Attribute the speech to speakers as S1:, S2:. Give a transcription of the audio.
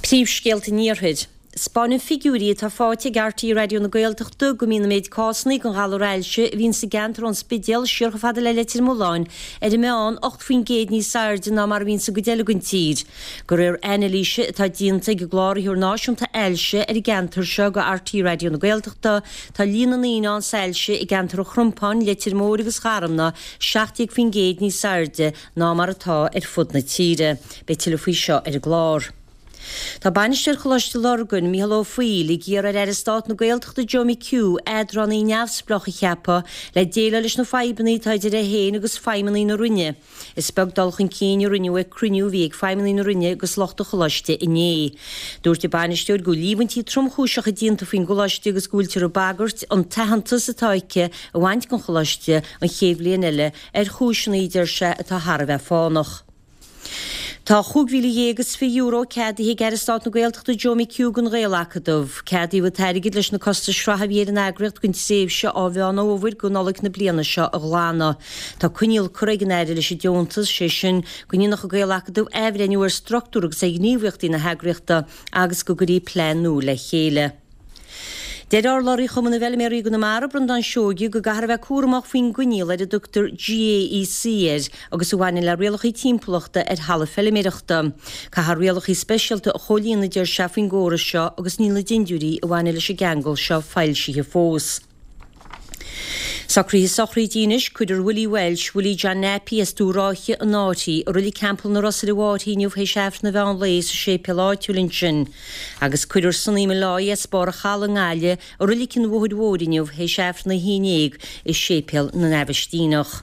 S1: Príomhscéalta an Iarthair. 'Spáineann figiúirí atá faighte ag RTÉ Raidió na Gaeltachta go mbíonn an méid cásanna den ghalar ailse a bhíonn sa gceantar ón Spidéal siar chomh fada le Leitir Mealláin ar an meán 8% níos airde ná mar a bhíonn sa gcuid eile den tír. De réir anailíse atá déanta ag an gCláraitheoir Náisiúnta Ailse ar an gceantar seo do RTÉ Raidió na Gaeltachta, tá líon na ndaoine ann sa ailse i gceantar an Chrompáin, Leitir Móir agus Gharmna 17% níos airde ná mar atá ar fud na tíre. Beidh tuilleadh faoi seo ar an gclár. Tá Bainisteoir Choláiste Lurgan, Mícheál Ó Foighil, ag iarraidh ar Aire Stáit na Gaeltachta Joe McHugh eadránaí neamhspleách a cheapadh le déileáil leis na fadhbanna atá idir é féin agus feidhmeannaigh na Roinne. Is beag dul chun cinn a rinneadh ag cruinniú a bhí ag feidhmeannaigh na Roinne agus lucht an choláiste inné. Dúirt an bainisteoir go bhfuil líomhaintí tromchúiseacha déanta faoin gcoláiste agus go bhfuiltear ag bagairt an t-aitheantas atá aici a bhaint den choláiste an chéad bhliain eile ar chúiseanna, a deir sé, atá thar a bheith fánach. Tá €15,020 ceadaithe ag Aire Stáit na Gaeltachta Joe McHugh don Ghael-Acadamh. Ceadaíodh an t-airgead leis na costais sraithe a bhí ar an eagraíocht don tréimhse ó Mheán Fhómhair go Nollaig na bliana seo a ghlanadh. Tá coinníoll curtha ag an Aire leis an deontas, sé sin, go ndéanfadh an Gael-Acadamh athbhreithniú ar struchtúr agus ar ghníomhaíochtaí na heagraíochta agus go gcuirfí plean nua le chéile. Deir urlabhraí Chumann na bhFeilméaraí i gConamara, Breandán Seoige, go gcaithfear a bheith cúramach faoin gcoinníoll ar a dtugtar GAEC air agus a bhaineann le rialacha timpeallachta ar thalamh feilméireachta. Caithfear rialacha speisialta a chomhlíonadh, a deir sé, faoin gcóras seo agus níl na dindiúirí a bhaineann leis an gceangal seo foilsithe fós. Socruithe sochraide anois, Cuirfear Willie Walsh, Willie John Nappy as Dubh Ráithe, an Fhairche, i Reilig Theampall na Ros ar an bhFairche inniu théis Aifreann an mheán lae sa séipéal áitiúil ansin. Agus cuirfear Sonny Molloy as Barr an Chalaidh i nGaillimh i Reilig an Bhóthair Mhóir inniu théis Aifreann a haon dhéag i Séipéal na nAibhistíneach.